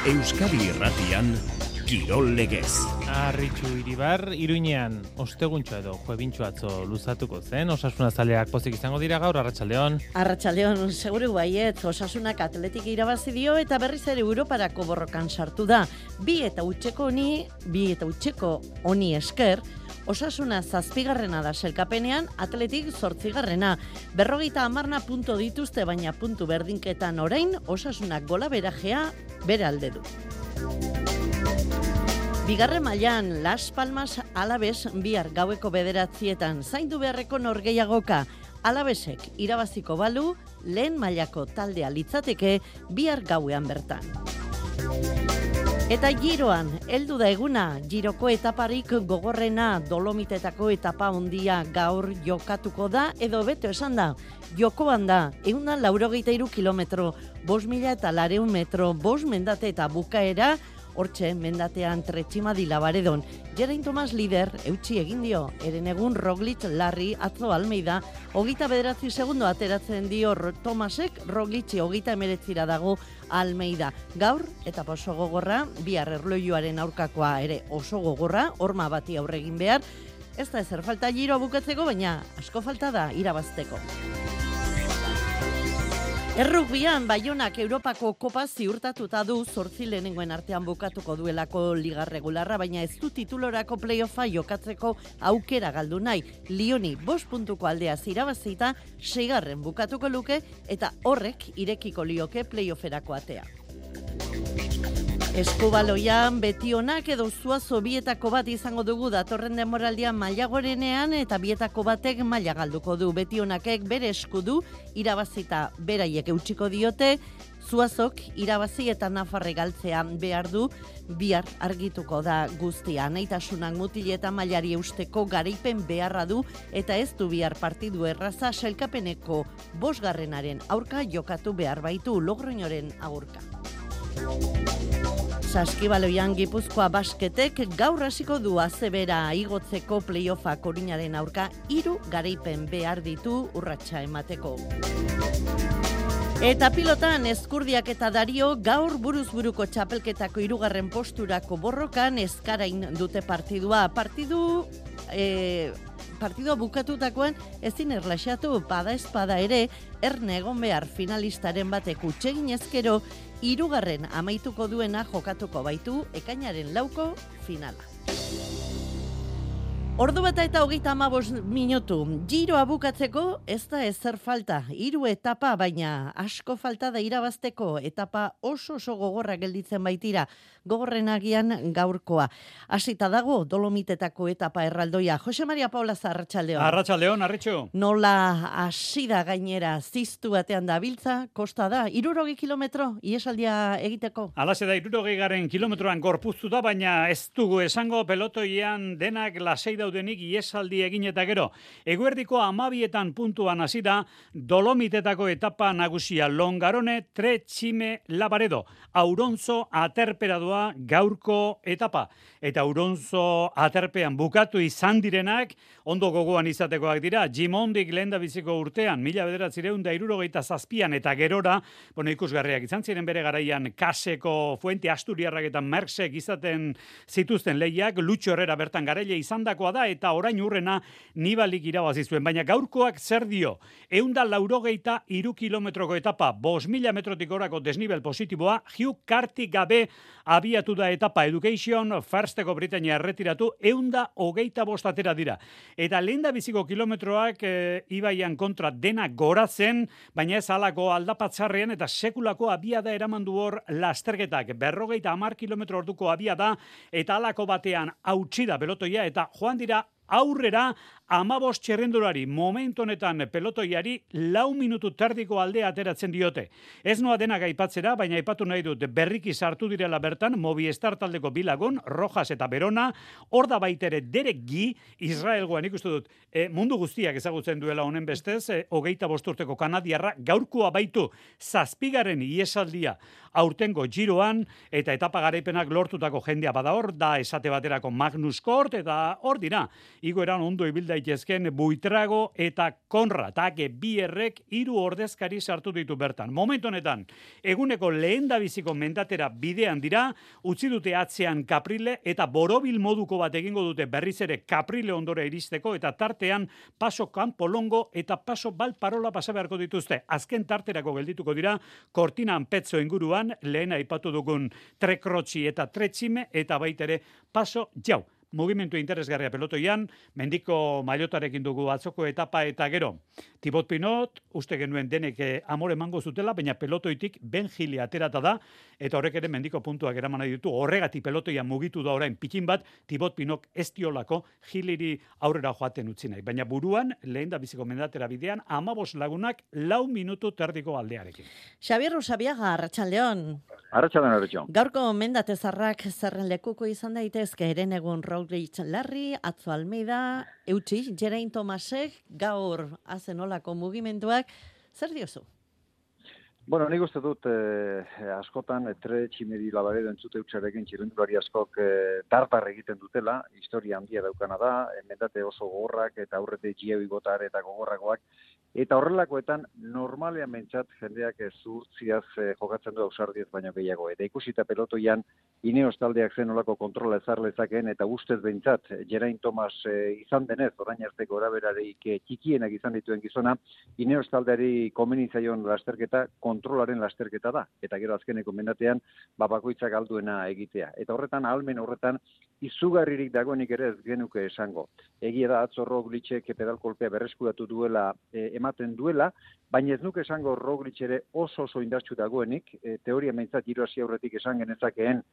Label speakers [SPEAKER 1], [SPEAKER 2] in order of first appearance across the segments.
[SPEAKER 1] Euskadi Irratian, Kirol Legez.
[SPEAKER 2] Arritxu Iribar, Iruinean, osteguntxo edo juebintxo atzo luzatuko zen, Osasuna zaleak pozik izango dira gaur, arratsaldeon.
[SPEAKER 3] Arratsaldeon, seguru baiet, Osasunak Atletik irabazi dio eta berriz ere Europarako borrokan sartu da. Bi eta utxeko honi esker, Osasuna 7garrena da selkapenean, Atletik 8garrena. 50 puntu dituzte, baina puntu berdinketan orain, Osasunak golaberajea bere alde du. Bigarren mailan Las Palmas Alaves bihar gaueko 9:00 zaindu beharreko norgehiagoka. Alavesek irabaziko balu, lehen mailako taldea litzateke bihar gauean bertan. Eta Giroan, heldu da eguna, Giroko etaparik gogorrena, Dolomitetako etapa hondia gaur jokatuko da, edo beto esan da, jokoan da, 183 kilometro, 5.400 metro, 5 mendate eta bukaera, hortxe, mendatean Tretximadi Labaredon. Geraint Tomas lider, eutxi egin dio, Herenegun Roglic Larri atzo Almeida, 29 segundo ateratzen dio Tomasek, Roglic'i 39 dago Almeida. Gaur, eta oso gogorra, bihar erlojuaren aurkakoa ere oso gogorra, horma bati aurre egin behar, ez da ezer falta Giro bukatzeko, baina asko falta da irabazteko. Errugbian, Baionak Europako kopa ziurtatuta du 8 lehenengoen artean bukatuko duelako liga regularra, baina ez du titulorako playoffa jokatzeko aukera galdu nahi. Lioni 5 puntuko aldea irabazita 6garren bukatuko luke eta horrek irekiko lioke playofferako atea. Eskubaloian Betionak edo Zuazo bietako bat izango dugu datorren denboraldian maila gorenean eta bietako batek maila galduko du. Betionakek bere eskudu irabazita beraiek eutsiko diote, Zuazok irabazi eta Nafarre galtzea behar du, bihar argituko da guztia. Naitasunak mutileta mailari eusteko garaipen beharra du eta ez du bihar partidu erraza selkapeneko 5garrenaren aurka jokatu behar baitu Logroñoren agurka. Saskibaloian Gipuzkoa Basketek gaur hasiko du azebera igotzeko playoffa Koruñaren aurka 3 garaipen behar ditu urratsa emateko. Eta pilotan Ezkurdiak eta Dario gaur buruz buruko txapelketako 3. posturako borrokan Ezkarain dute partidua. Partidua bukatutakoan ezin erlaxatu, bada espada ere, erne egon behar finalistaren batek utsegin ezkero, 3. amaituko duena jokatuko baitu ekainaren 4 finala. Ordu bata eta 35 minutu. Giroa bukatzeko ez da ezer falta. 3 etapa, baina asko falta da irabazteko. Etapa oso gogorra gelditzen baitira. Gogorrenagian gaurkoa. Hasita dago Dolomitetako etapa erraldoia. Jose Maria Paulaza, arratsaldeon.
[SPEAKER 4] Arratsaldeon, Arritxu.
[SPEAKER 3] Nola hasida gainera ziztu batean dabiltza, kosta da. 60 kilometro iesaldia egiteko.
[SPEAKER 4] Alaze da 60 kilometroan gorpuztu da, baina ez dugu esango pelotoian denak lasei daudenik iesaldi egin eta gero. Eguerdiko 12 puntuan hasi da Dolomitetako etapa nagusia Longarone Tretxime Labaredo. Auronzo aterpera doa gaurko etapa. Eta Auronzo aterpean bukatu izan direnak ondo gogoan izatekoak dira. Gimondik lehendabiziko urtean 1967an eta gerora, ikusgarriak izan ziren bere garaian Kaseko, Fuente Asturiarrak eta Merksek izaten zituzten lehiak, Lutxo Herrera bertan garaile izandakoa da eta orain urrena Nibalik irabazi zuen, baina gaurkoak zer dio? 183 kilometroko etapa, 5.000 metrotik gorako desnibel positiboa, Hugh Carty gabe abiatu da etapa. Education Firsteko Britania erretiratu, 125 atera dira. Eta lehendabiziko kilometroak ibaian kontra dena goratzen, baina ez halako aldapatzarrean eta sekulako abiada eraman du hor lasterketak. 50 kilometro orduko abiada eta halako batean hautsi da pelotoia eta joan dira aurrera 15 txerrendulari, momentu honetan pelotoiari 4 minutu terdiko aldea ateratzen diote. Ez noa denak aipatzera, baina aipatu nahi dut berriki sartu direla bertan Movistar taldeko bilagun, Rojas eta Berona, hor da baitere Derek Gi, Israelgoan ikustu dut, mundu guztiak ezagutzen duela honen bestez, 25 urteko kanadiarra, gaurkoa baitu 7. iesaldia aurtengo Giroan, eta etapa garaipenak lortutako jendea bada hor, da esate baterako Magnus Kort, eta hor dira, igoeran ondo ibilda daitezken Buitrago eta Konrad, bierrek 3 ordezkari sartu ditu bertan. Momentu honetan, eguneko lehendabiziko mendatera bidean dira, utzi dute atzean Kaprile eta borobil moduko bat egingo dute berriz ere Kaprile ondora iristeko eta tartean Paso Kanpolongo eta Paso Balparola pasa beharko dituzte. Azken tarterako geldituko dira Kortinan Petzo inguruan, lehen aipatu dugun Trekrotxi eta Tretxime eta baitere Paso Jau. Mugimendu interesgarria pelotoian, mendiko mailotarekin dugu atzoko etapa eta gero. Tibot Pinot, uste genuen denek amore emango zutela, baina pelotoitik Ben Gili aterata da, eta horrek ere mendiko puntuak eraman nahi ditu, horregatik pelotoian mugitu da orain pikin bat, Tibot Pinot ez diolako Giliri aurrera joaten utzi nahi. Baina buruan, lehen da biziko mendatera bidean, 15 lagunak 4 minutu terdiko aldearekin.
[SPEAKER 3] Xabier Usabiaga, Arratsaldeon.
[SPEAKER 5] Arratsaldeon, Arratsaldeon.
[SPEAKER 3] Gaurko mendatezarrak zerren lekuko izan daitezke eren egun Roglic Larri, Atzo Almeida, Eutsi, Geraint Tomasek, gaur azenolako mugimenduak, zer diozu?
[SPEAKER 5] Bueno, nik uste dut askotan Tretximeri Labaredo entzute utxarekin txirrendulari askok tartar egiten dutela, historia handia daukana da, mendate oso gogorrak eta aurrete Giebi Gotar eta gogorragoak, eta horrelakoetan normalean mentzat jendeak zuhurtziaz jokatzen du ausardiez baino gehiago. Eta ikusita pelotoian Ineos taldeak zen olako kontrola ezar lezakeen eta ustez behintzat Geraint Thomas izan denez, orain arteko gorabeherarik txikienak izan dituen gizona, Ineos taldeari komeni zaion lasterketa kontrolaren lasterketa da. Eta gero azkeneko mendatean bakoitzak alduena egitea. Eta horretan, ahalmen horretan, izugarririk dagoenik ere ez genuke esango. Egia da atzo Roglicek pedalkolpea berreskuratu duela ematen duela, baina ez nuke esango Roglic ere oso indartsu dagoenik, teoria meintzat Giro hasi aurretik esan genezakeen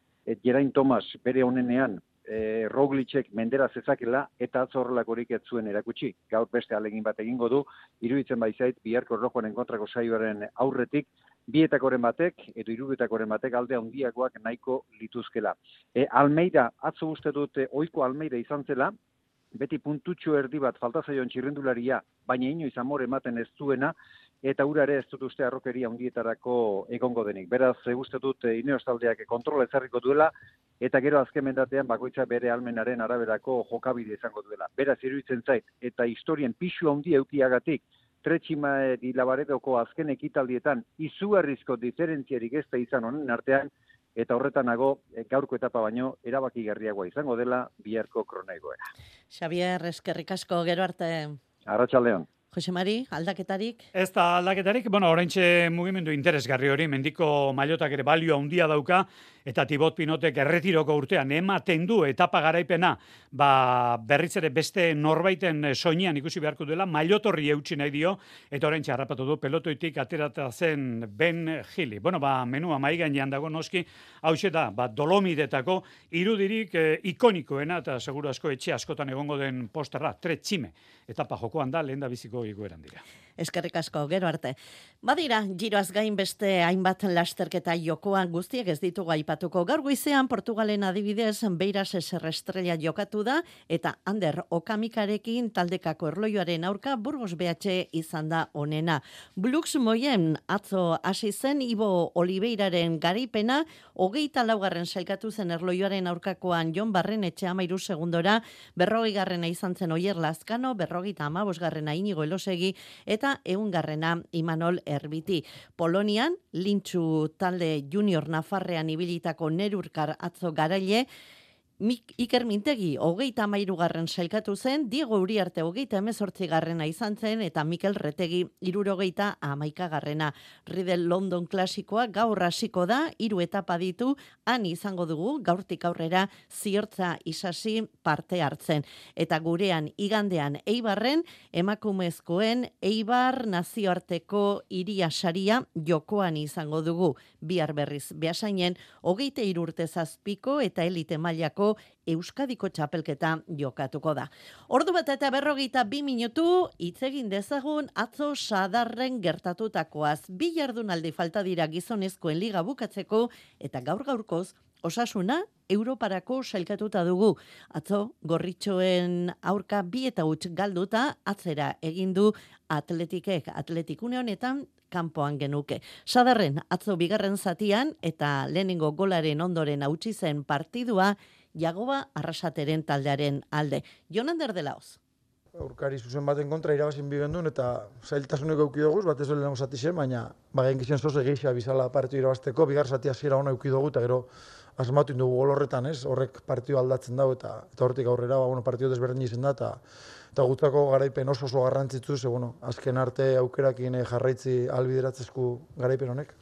[SPEAKER 5] Geraint Thomas bere honenean Roglicek mendera zezakela eta atzo horrelakorik ez zuen erakutsi. Gaur beste alegin bat egingo du, iruditzen baizait biharko erlojuaren kontrako saioaren aurretik, bietakoren batek edo hiruetakoren batek alde handiagoak nahiko lituzkela. Almeida, atzo uste dut ohiko Almeida izan zela, beti puntutxo erdi bat falta zaion txirrendularia, baina inoiz amore ematen ez zuena, eta ura ere ez dut uste arrokeria handietarako egongo denik. Beraz, uste dut Ineos taldeak kontrola ezarriko duela, eta gero azken mendatean bakoitza bere almenaren araberako jokabide izango duela. Beraz, iruditzen zait, eta historien pixu handia eukiagatik, Tretximeri Labaredoko azken ekitaldietan izugarrizko diferentziarik ez da izan honen artean, eta horretanago gaurko etapa baino erabakigarriagoa izango dela biharko kronoigoera.
[SPEAKER 3] Xabier, eskerrik asko, gero arte.
[SPEAKER 5] Arratsaldeon.
[SPEAKER 3] Jose Mari, aldaketarik?
[SPEAKER 4] Ez da aldaketarik, oraintxe mugimendu interesgarri hori, mendiko mailotak ere balio handia dauka, eta Tibot Pinotek erretiroko urtean ematen du etapa garaipena, berriz ere beste norbaiten soinean ikusi beharko duela, mailotorri eutsi nahi dio, eta oraintxe harrapatu du pelotoitik aterata zen Ben Gili. Menua mahai gainean dago noski, hauxe da, Dolomitetako irudirik ikonikoena, eta seguru asko etxe askotan egongo den posterra, Tretxime. Etapa jokoan da, lehen da biziko igueran dira.
[SPEAKER 3] Eskerrik asko, gero arte. Badira, giroaz gain beste hainbat lasterketa jokoan guztiek ez ditugu aipatuko. Gaur goizean Portugalen adibidez Beiras Eser Estrella jokatu da eta Ander Okamikarekin taldekako erloioaren aurka Burgos BH izan da onena. Blux Moyen atzo hasi zen Ibo Oliveiraren garaipena 24. sailkatu zen erloioaren aurkakoan Jon Barrenetxe 13 segundora, 40. izan zen Oier Lazkano, 55. Inigo Elosegi eta 100. Imanol Erbiti. Polonian, Lintxu talde junior Nafarrean ibilitako Nerurkar atzo garaile, Iker Mintegi 33. sailkatu zen, Diego Uriarte 38. izan zen, eta Mikel Retegi 71. Riedel London klasikoa gaur hasiko da, 3 etapa ditu, han izango dugu, gaurtik aurrera ziortza isasi parte hartzen. Eta gurean igandean Eibarren, emakumezkoen Eibar nazioarteko hiria saria jokoan izango dugu. Bihar berriz Beasainen 23 urte zazpiko eta elite mailako Euskadiko txapelketa jokatuko da. Ordu bat eta 42 minutu hitz egin dezagun atzo Sadarren gertatutakoaz. 2 jardunaldi falta dira gizonezkoen liga bukatzeko eta gaur-gaurkoz Osasuna Europarako sailkatuta dugu. Atzo Gorritxoen aurka 2-0 galduta atzera egin du Atletik une honetan kanpoan genuke. Sadarren atzo bigarren zatian eta lehenengo golaren ondoren hautsi zen partidua Jagoba Arrasateren taldearen alde. Jon Ander de Laoz.
[SPEAKER 6] aurkari zuzen baten kontra irabazin bigendun, eta zailtasunek euki dugu, batez dut lehenko zati zen, baina genkizien zoze geixa bizala partidu irabazteko, bigar zati hasiera ona euki dugu, eta gero asmatu indugu gol horretan, ez? Horrek partidu aldatzen dago, eta hortik aurrera, partidu desberdin izen da, eta gutako garaipen oso garrantzitsu, ze, azken arte aukerakin jarraitzi albideratzezku garaipen honek.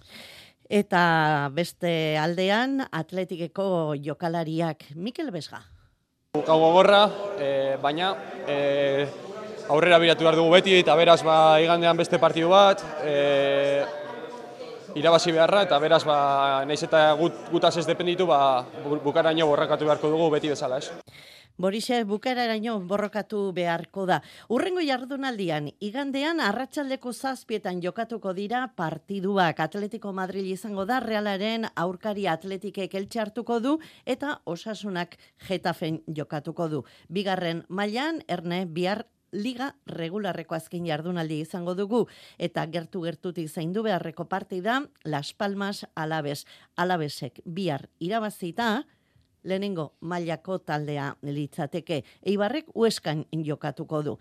[SPEAKER 3] Eta beste aldean, Atletikeko jokalariak Mikel Besga.
[SPEAKER 7] Gau gogorra, baina aurrera biratu behar dugu beti, eta beraz igandean beste partidu bat, irabazi beharra, eta beraz nahiz eta gutaz ez dependitu, bukaraino borrakatu beharko dugu beti bezala, ez?
[SPEAKER 3] Borixe, bukaeraraino borrokatu beharko da. Hurrengo jardunaldian, igandean arratsaldeko 7:00 jokatuko dira partiduak. Atletico Madrid izango da, Realaren aurkari Atletikek Elche hartuko du, eta Osasunak Getafen jokatuko du. Bigarren mailan, Erne, bihar Liga regularreko azken jardunaldi izango dugu, eta gertu-gertutik zaindu beharreko partida, Las Palmas Alaves. Alavesek bihar irabazita, lehenengo mailako taldea litzateke. Eibarrek Hueskan jokatuko du.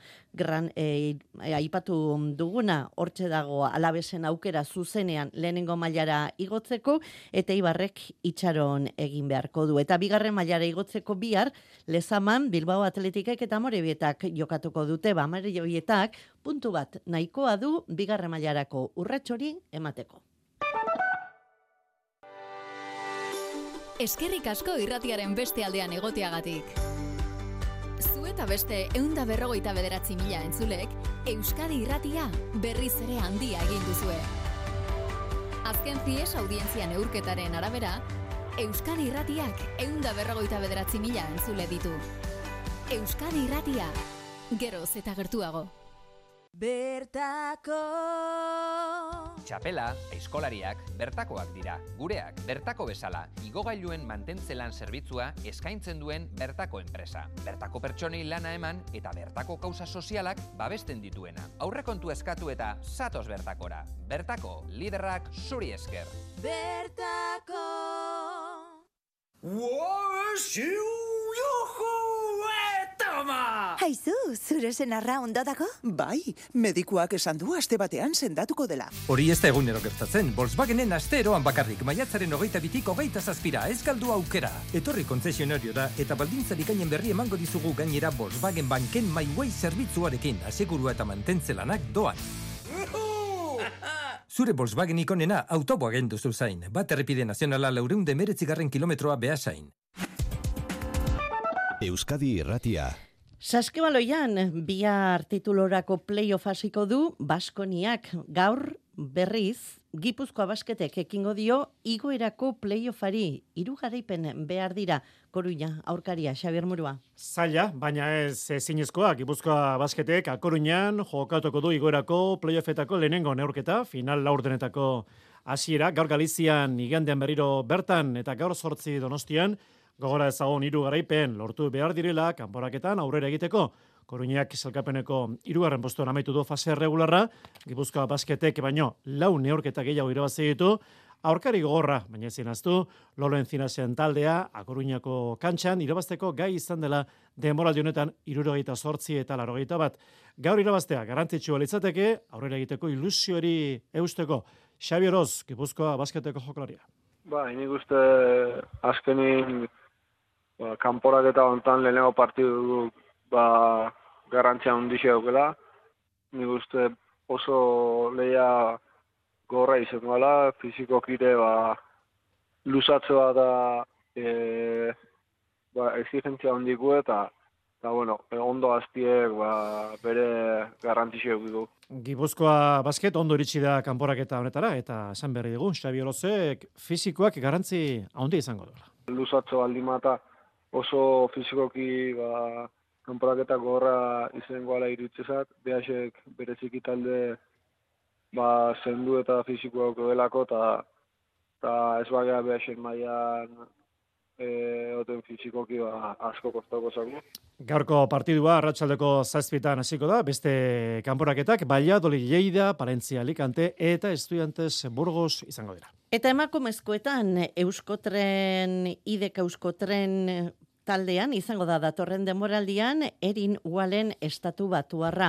[SPEAKER 3] Aipatu duguna, hortxe dago Alavesen aukera zuzenean lehenengo mailara igotzeko, eta Eibarrek itxaron egin beharko du. Eta bigarren mailara igotzeko bihar, Lezaman, Bilbao Atletikek eta Amorebietak jokatuko dute. Amorebietak puntu bat nahikoa du bigarren mailarako urratxori emateko.
[SPEAKER 8] Eskerrik asko irratiaren beste aldean egoteagatik. Zu eta beste 159.000 entzulek, Euskadi Irratia berriz ere handia egin duzue. Azken CIES audientzia neurketaren arabera, Euskadi Irratiak 159.000 entzule ditu. Euskadi Irratia, geroz eta gertuago.
[SPEAKER 9] Bertako
[SPEAKER 10] Txapela, aizkolariak, bertakoak dira. Gureak, bertako bezala, igogailuen mantentzelan zerbitzua eskaintzen duen bertako enpresa. Bertako pertsonei lana eman eta bertako kausa sozialak babesten dituena. Aurrekontu eskatu eta zatoz bertakora. Bertako, liderrak zuri esker.
[SPEAKER 9] Bertako
[SPEAKER 11] Haizu, zure senarra ondo dago?
[SPEAKER 12] Bai, medikuak esan du aste batean sendatuko dela.
[SPEAKER 13] Hori ez da egunero gertatzen, Volkswagenen asteeroan bakarrik, maiatzaren 22-tik 27 ez galdu aukera. Etorri konzesionariora eta baldintzarik gainen berri emango dizugu gainera Volkswagen Banken MyWay zerbitzuarekin, asegurua eta mantentzelanak doan. Zure Volkswagen ikonena autoboagen duzu zain, bat errepide nazionala 419 kilometroa behasain.
[SPEAKER 1] Euskadi Irratia.
[SPEAKER 3] Saskibaloian, bihar titulorako playoff hasiko du Baskoniak. Gaur berriz, Gipuzkoa Basketek ekingo dio igoerako playoffari. 3 garaipen behar dira. Koruña, aurkaria, Xabier Murua.
[SPEAKER 14] Zaila, baina ez zinezkoa. Gipuzkoa Basketek Koruñan jokatuko du igoerako playoffetako lehenengo neurketa, final laurdenetako hasiera. Gaur Galizian igandean berriro bertan eta gaur 8 Donostian, gogora ezagon 3 garaipen lortu behar direla kanporaketan aurrera egiteko. Koruñak sailkapeneko 3. postuan amaitu du fase regularra, Gipuzkoa Basketek baino 4 neurketa gehiago irabazi ditu, aurkari gogorra, baina ezin ahaztu, Lolo Encinasen taldea, Koruñako kantxan irabazteko gai izan dela denboraldi honetan 78 eta 81. Gaur irabaztea garrantzitsua litzateke, aurrera egiteko ilusiori eusteko. Xabi Oroz, Gipuzkoa Basketeko jokalaria.
[SPEAKER 15] Nik uste azkenin kanporaketa hontan lehenengo partidu garrantzia handia daukela. Nik uste oso lehia gorra izango dela, fizikokire luzatzea da exigentzia handiku eta ondo aztiek bere garrantzia du.
[SPEAKER 14] Gipuzkoa Basket ondo iritsi da kanporaketa honetara eta esan berri dugu, Xabi Orozek fizikoak garrantzi handia izango dela.
[SPEAKER 15] Luzatzea aldimata oso fizikoki kanporaketa gorra izango ala iritzezat, behasek bereziki talde zendu eta fizikoak delako eta ez bagea behasek mailan oten fizikoki asko kostako zago.
[SPEAKER 14] Gaurko partidua arratsaldeko 7:00 hasiko da, beste kanporaketak Valladolid, Lleida, Palencia, Alicante eta Estudiantes Burgos izango dira.
[SPEAKER 3] Eta emakumezkoetan Euskotren, IDK Euskotren taldean izango da datorren denboraldian Erin Ualen estatu batuarra.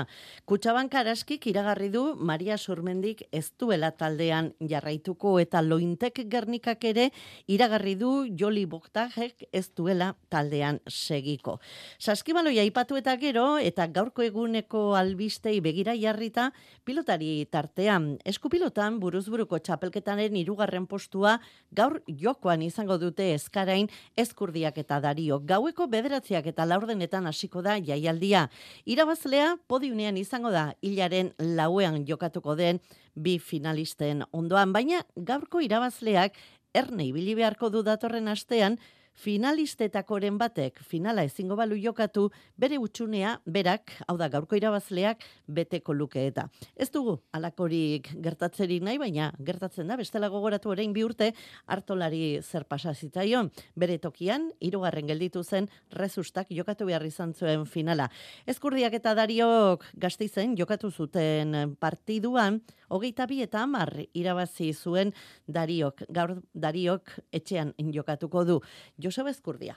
[SPEAKER 3] Kutxabank Araskik iragarri du Maria Surmendik ez duela taldean jarraituko eta Lointek Gernikak ere iragarri du Joli Boktajek ez duela taldean segiko. Saskibaloia aipatu eta gero eta gaurko eguneko albistei begira jarrita pilotari tartean. Eskupilotan buruzburuko txapelketaren 3. postua gaur jokoan izango dute Ezkarain, Ezkurdiak eta Dario. Gaueko 9 eta 4 hasiko da jaialdia. Irabazlea podiunean izango da hilaren 4 jokatuko den 2 finalisten ondoan, baina gaurko irabazleak erne ibili beharko du datorren astean, finalistetakoren batek finala ezingo balu jokatu, bere utxunea berak, hau da gaurko irabazleak, beteko luke eta. Ez dugu alakorik gertatzerik nahi, baina gertatzen da, bestela gogoratu orain 2 urte hartolari zer pasa zitzaion. Bere tokian, 3. gelditu zen Rezustak jokatu behar izan zuen finala. Ezkurdiak eta Dariok Gasteizen jokatu zuten partiduan, 22 eta 10 irabazi zuen Dariok. Gaur Dariok etxean jokatuko du. Joseba Ezkurdia.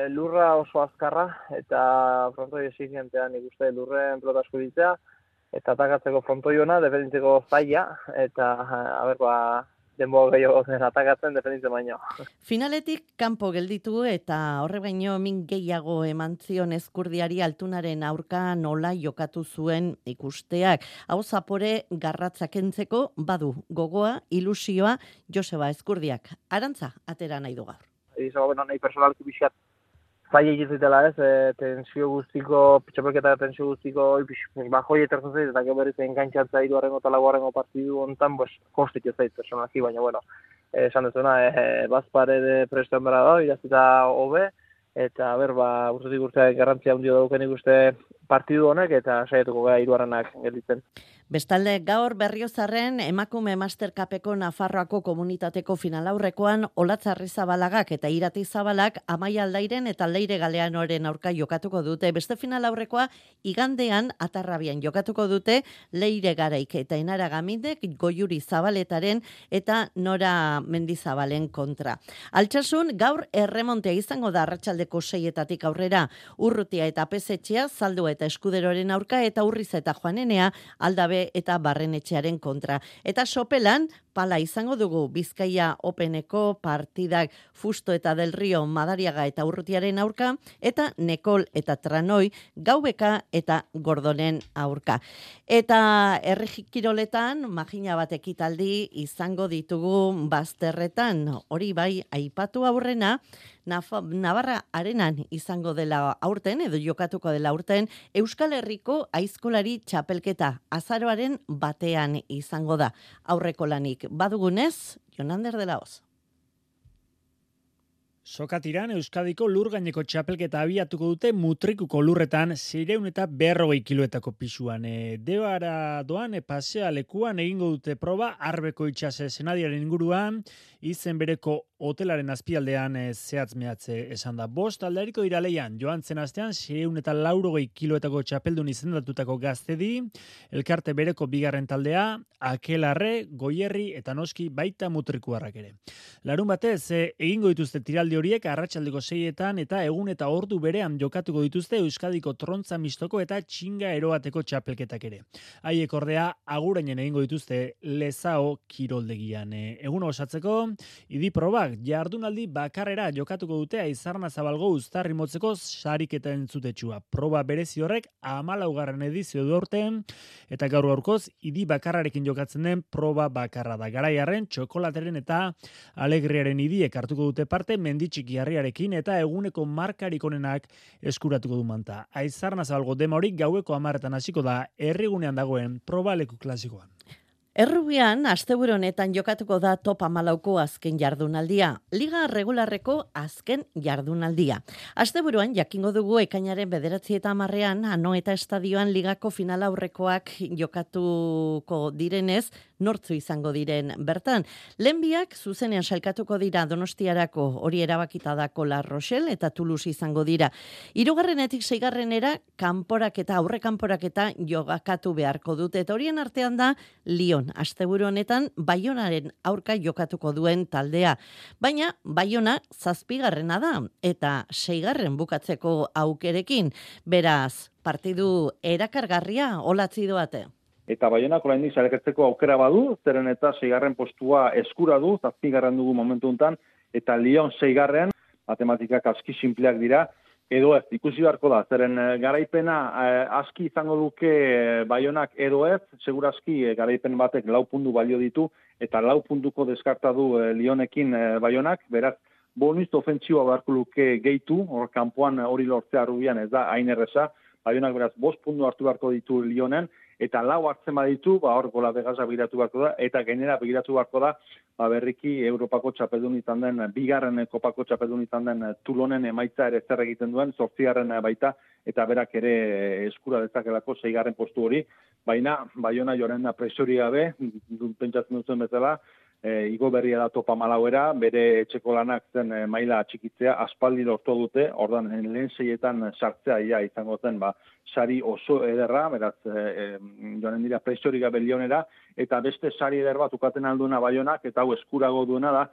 [SPEAKER 16] Lurra oso azkarra eta frontoi exigentean ikuste lurren pelota asko ditzea eta atakatzeko frontoi ona, defenditzeko zaila eta denbo gehiago zen atakatzen defenditzen baino.
[SPEAKER 3] Finaletik kanpo gelditu eta horre baino min gehiago eman zion Ezkurdiari Altunaren aurka nola jokatu zuen ikusteak. Hau zapore garratzakentzeko badu gogoa, ilusioa Joseba Ezkurdiak. Arantza atera nahi du gaur.
[SPEAKER 16] Izago nahi personalki pixat zaila egitzetela tensio guztiko, txapelketa tensio guztiko bajoi etertzen zait, eta gero berriz engantzatza 3. eta 4. partidu hontan, kostik ez zait personalki, baina esan dezuna, bazpare de prestoen bera da, idazita hobe, eta urtetik urteak garrantzia handio dauken ikuste partidu honek, eta saietuko gara 3. gelditzen.
[SPEAKER 3] Bestalde, gaur Berriozarren emakume Mastercupeko Nafarroako komunitateko finalaurrekoan Olatz Arrizabalagak eta Irati Zabalak Amaia Aldairen eta Leire Galeanoren aurka jokatuko dute. Beste finalaurrekoa igandean Atarrabian jokatuko dute Leire Garaik eta Enara Gamindek Goiuri Zabaletaren eta Nora Mendizabalen kontra. Altsasun gaur erremontea izango da arratsaldeko 6 aurrera. Urrutia eta Pezetxea, Zaldua eta Eskuderoren aurka eta Urriz eta Joanenea Aldabe eta Barrenetxearen kontra. Eta sopelan, pala izango dugu Bizkaia Openeko partidak Fusto eta Del Rio Madariaga eta Urrutiaren aurka, eta Nekol eta Tranoi Gaubeka eta Gordonen aurka. Eta herrikiroletan, magina bat ekitaldi izango ditugu bazterretan, hori bai aipatu aurrena, Navarra Arenan izango dela aurten, edo jokatuko dela aurten, Euskal Herriko aizkolari txapelketa azaroaren batean izango da. Aurreko lanik badugunez, Jonander de la Hoz.
[SPEAKER 4] Sokatiran Euskadiko lurgaineko txapelketa abiatuko dute Mutrikuko lurretan 640 kiloetako pisuan. Debara doan pasea lekuan egingo dute proba Arbeko itxase senadiaren inguruan, izen bereko hotelaren azpialdean zehatz mehatze esan da. 5 aldariko dira leian, joan zen astean 640 kiloetako txapeldun izendatutako Gaztedi, elkarte bereko 2. taldea, Akelarre, Goierri eta noski baita Mutrikuarrak ere. Larun batez, egingo dituzte tiraldi horiek arratsaldeko 6etan eta egun eta ordu berean jokatuko dituzte Euskadiko trontza mistoko eta txinga eroateko txapelketak ere. Haiek ordea agurainen egingo dituzte Lezao kiroldegian. Egun osatzeko, idi probak jardunaldi bakarrera jokatuko dute Aizarna Zabalgo uztarri motzeko sariketa entzutetxua. Proba berezi horrek 14. edizio du aurten eta gaur gaurkoz idi bakarrarekin jokatzen den proba bakarra da. Garaiarren, txokolateren eta alegriaren idiek hartuko dute parte menditxiki harriarekin eta eguneko markarik onenak eskuratuko du manta. Aizarna Zabalgo dema hori gaueko 10etan hasiko da herrigunean dagoen probaleku klasikoan.
[SPEAKER 3] Errubian, asteburu honetan jokatuko da top 14ko azken jardunaldia. Liga regularreko azken jardunaldia. Asteburuan jakingo dugu ekainaren 9 eta 10ean Anoeta estadioan ligako final aurrekoak jokatuko direnez, nortzu izango diren bertan. Lehenbiak zuzenean sailkatuko dira Donostiarako, hori erabakita dako La Rochelle eta Toulouse izango dira. 3. 6. kanporaketa, aurre kanporaketa jokatu beharko dute. Eta horien artean da Lyon. asteburu honetan Baionaren aurka jokatuko duen taldea. Baina Baiona 7. da eta 6. bukatzeko aukerekin. Beraz, partidu erakargarria olatzi doate.
[SPEAKER 17] Eta Baionak oraindik sareketzeko aukera badu, zeren eta 6. postua eskura du, 7. dugu momentu hontan, eta Lyon 6. matematikak aski sinpleak dira, edo ez, ikusi beharko da, zeren garaipena aski izango duke Baionak edo ez, segurazki garaipen batek 4 puntu balio ditu, eta 4 puntuko deskarta du Lyonekin Baionak, beraz, bonus ofentsiboa beharko luke gehitu, hor kanpoan hori lortzea Rubian ez da hain erresa, Baionak beraz 5 puntu hartu beharko ditu Lyonen, eta 4 hartzen baditu, hor gola begasa begiratu beharko da, eta gainera begiratu beharko da, berriki Europako txapeldun izan den, 2. kopako txapeldun izan den Toulonen emaitza ere zer egiten duen, 8. baita, eta berak ere eskura dezakelako 6. postu hori, baina Baiona joren presori gabe, pentsatzen duten bezala, igo berria da topa Malauera, bere etxeko lanak zen maila txikitzea, aspaldi lortu dute, ordan lehen 6etan sartzea izango zen, sari oso ederra, beraz, joanen dira presori gabe Lyonera, eta beste sari eder bat ukaten alduna Baionak, eta hau eskurago duena da,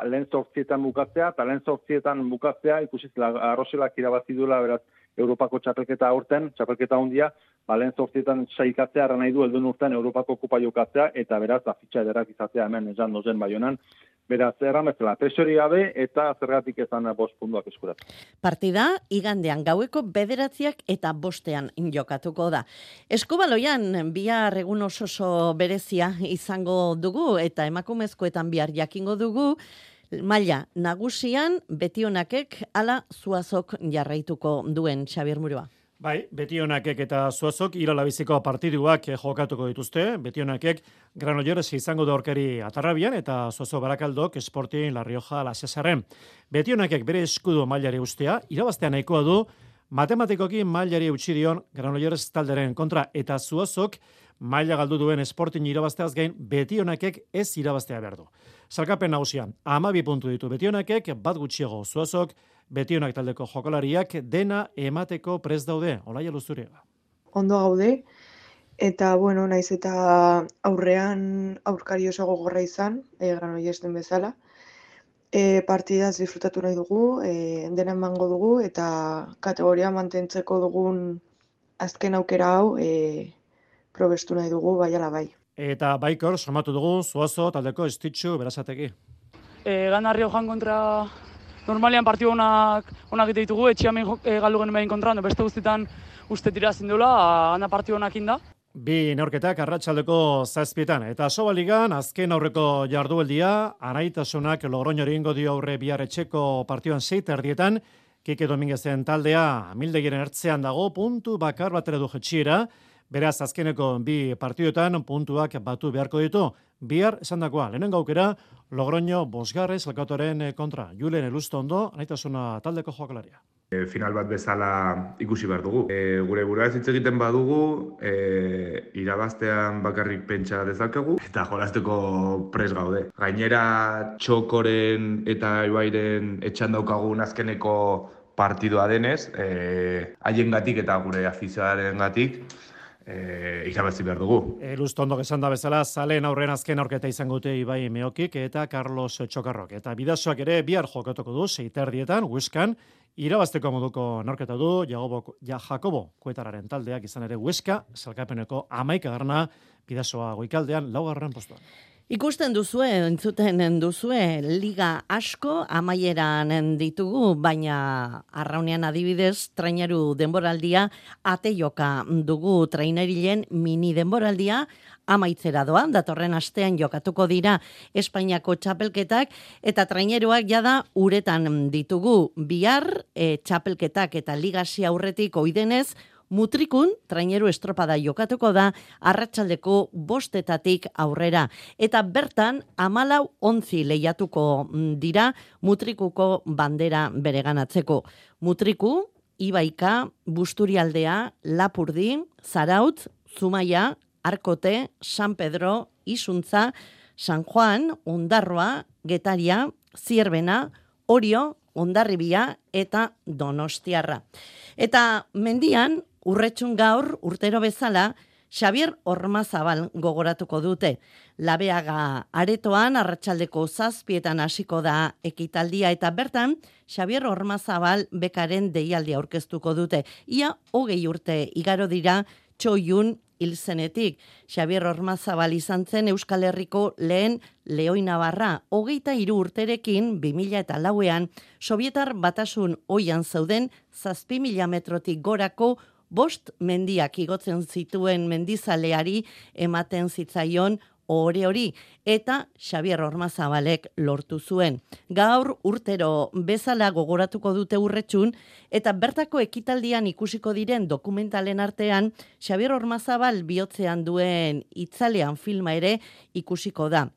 [SPEAKER 17] lehen 8etan bukatzea, eta lehen 8etan bukatzea, ikusiz, Arroselak irabazi duela, beraz, Europako txapelketa aurten, txapelketa hondia, lehen 8etan saikatzea erran nahi du helduen urtean Europako kupa jokatzea, eta beraz, fitxa ederrak izatea hemen esan dozen Baionan. Beraz, erran bezala, presori gabe eta zergatik ezan 5 puntuak eskuratu.
[SPEAKER 3] Partida, igandean gaueko 9 eta 5 jokatuko da. Eskubaloian, bihar egun oso berezia izango dugu, eta emakumezkoetan bihar jakingo dugu, maila nagusian Betionakek ala Zuazok jarraituko duen, Xabier Murua.
[SPEAKER 14] Bai, Betionakek eta Zuazok iralabiziko partiduak jokatuko dituzte. Betionakek Granollers izango da aurkari Atarrabian eta Zuazo Barakaldok Sporting La Rioja La Cesarren. Betionakek bere eskudo mailari ustea, irabaztea nahikoa du, matematikoki mailari utzi dion Granollers talderen kontra, eta Zuazok maila galdu duen Sporting irabazteaz gain Betionakek ez irabaztea behar du. Salkapen nagusia, 12 puntu ditu Betionakek, bat gutxiago Zuazok, Betionak taldeko jokalariak dena emateko prest daude, Olaia Luzuriaga.
[SPEAKER 18] Ondo gaude, eta naiz eta aurrean aurkari oso gogorra izan, Granollers bezala. Partidaz disfrutatu nahi dugu, dena emango dugu, eta kategoria mantentzeko dugun azken aukera hau probestu nahi dugu, bai ala bai.
[SPEAKER 14] Eta baikor, somatu dugu, Zuazo taldeko Estitxu Berazategi.
[SPEAKER 19] Gana Riojan kontra normalian partidu onak egite ditugu, etxean galdu genuen kontra, beste guztietan uste tira zindula, gana partidu onak inda.
[SPEAKER 14] Bi neurketak arratsaldeko 7etan, eta Sobaligan azken aurreko jardueldia, Anaitasunak Logroñori ingo dio aurre bihar etxeko partiduan 6:30, Kike Dominguezen taldea Amildegiren ertzean dago, puntu bakar batera du jetxiera, beraz azkeneko bi partiduetan puntuak batu beharko ditu. Bihar esandakoa, lehenengo aukera Logroño 5. Elkatoren kontra. Julen Elustondo, Anaitasuna taldeko joakalaria.
[SPEAKER 20] Final bat bezala ikusi behar dugu. Gure burua hitz egiten badugu, irabaztean bakarrik pentsa dezakegu eta jolasteko pres gaude. Gainera Txokoren eta Ibairen etxan daukagun azkeneko partidua denez, haiengatik eta gure afizioarengatik irabazi behar dugu.
[SPEAKER 14] Elustondo esan da bezala, zaleen aurren azken aurketa izango dute Ibai Meokik eta Carlos Txokarrok. Eta Bidasoak ere bihar jokatuko du 6:30 Hueskan, irabazteko moduko norketa du Jakobo Kuetararen taldeak izan ere Hueska, salkapeneko 11. Bidasoa goikaldean 4. postuan.
[SPEAKER 3] Ikusten duzue, entzuten duzue, liga asko amaieran ditugu, baina Arraunean adibidez, traineru denboraldia, ateioka dugu trainerilen mini denboraldia, amaitzera doa, datorren astean jokatuko dira Espainiako txapelketak, eta traineruak jada uretan ditugu bihar, txapelketak eta ligasi aurretik oidenez, Mutrikun, traineru estropada jokatuko da, arratsaldeko 5 aurrera. Eta bertan, 14 lehiatuko dira Mutrikuko bandera bereganatzeko. Mutriku, Ibaika, Busturialdea, Lapurdi, Zarautz, Zumaia, Arkote, San Pedro, Isuntza, San Juan, Ondarroa, Getaria, Zierbena, Orio, Hondarribia eta Donostiarra. Eta mendian, Urretxun gaur, urtero bezala, Xabier Ormazabal gogoratuko dute. Labeaga aretoan arratsaldeko 7:00 hasiko da ekitaldia eta bertan Xabier Ormazabal bekaren deialdia aurkeztuko dute. Ia 20 urte igaro dira Txoiun hil zenetik. Xabier Ormazabal izan zen Euskal Herriko lehen Leoi Navarra. 23 urterekin 2004ean Sobietar Batasun oian zeuden 7.000 metrotik gorako 5 mendiak igotzen zituen mendizaleari ematen zitzaion hori eta Xabier Ormazabalek lortu zuen. Gaur urtero bezala gogoratuko dute Urretxun eta bertako ekitaldian ikusiko diren dokumentalen artean Xabier Ormazabal bihotzean duen itzalean filma ere ikusiko da.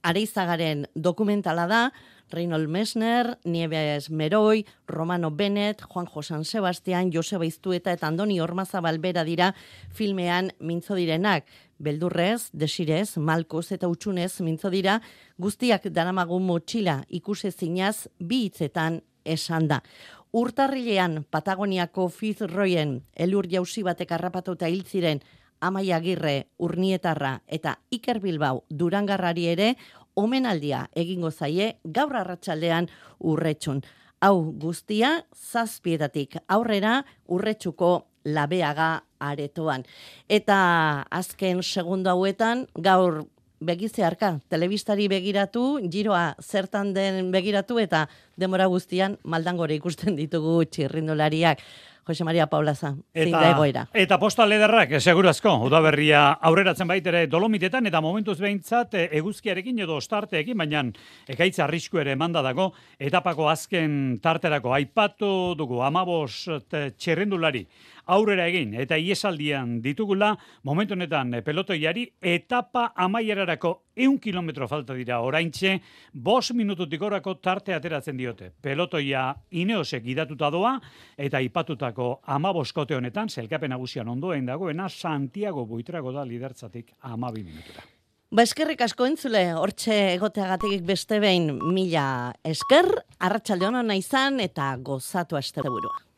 [SPEAKER 3] Areizagaren dokumentala da, Reynold Messner, Nieves Meroi, Romano Bennett, Juanjo San Sebastian, Joseba Iztueta eta Andoni Ormazabal bera dira filmean mintzo direnak. Beldurrez, desirez, malkoz eta utxunez mintzo dira, guztiak daramagun motxila ikusezinaz bi hitzetan esan da. Urtarrilean Patagoniako Fitzroyen elur jauzi batek harrapatuta hil ziren Amaia Agirre, Urnietarra eta Iker Bilbao Durangarrari ere omenaldia egingo zaie gaur arratsaldean Urretxun. Hau guztia 7:00 aurrera Urretxuko Labeaga aretoan. Eta azken segundo hauetan gaur begizearka, telebistari begiratu, giroa zertan den begiratu eta demora guztian maldangore ikusten ditugu txirrindulariak. Jose Maria Paulaza, zein da egoera.
[SPEAKER 4] Eta postal ederrak, segurazko, udaberria aurreratzen baitere Dolomitetan, eta momentuz behintzat eguzkiarekin edo ostarteekin, baina ekaitza arrisku ere emanda dago, etapako azken tarterako aipatu dugu 15 txirrindulari aurrera egin, eta iesaldian ditugula, momentu honetan pelotoiari etapa amaierarako 100 kilometro falta dira oraintxe, 5 minututik orako tarte ateratzen diote. Pelotoia Ineosek gidatuta doa, eta aipatutako 15 kote honetan, zelkapen nagusian ondoen dagoena, Santiago Buitrago da lidertzatik 12 minutura.
[SPEAKER 3] Eskerrik asko entzule, hortxe egoteagatik beste behin 1000 esker, arratsalde ona izan eta gozatu asteburua.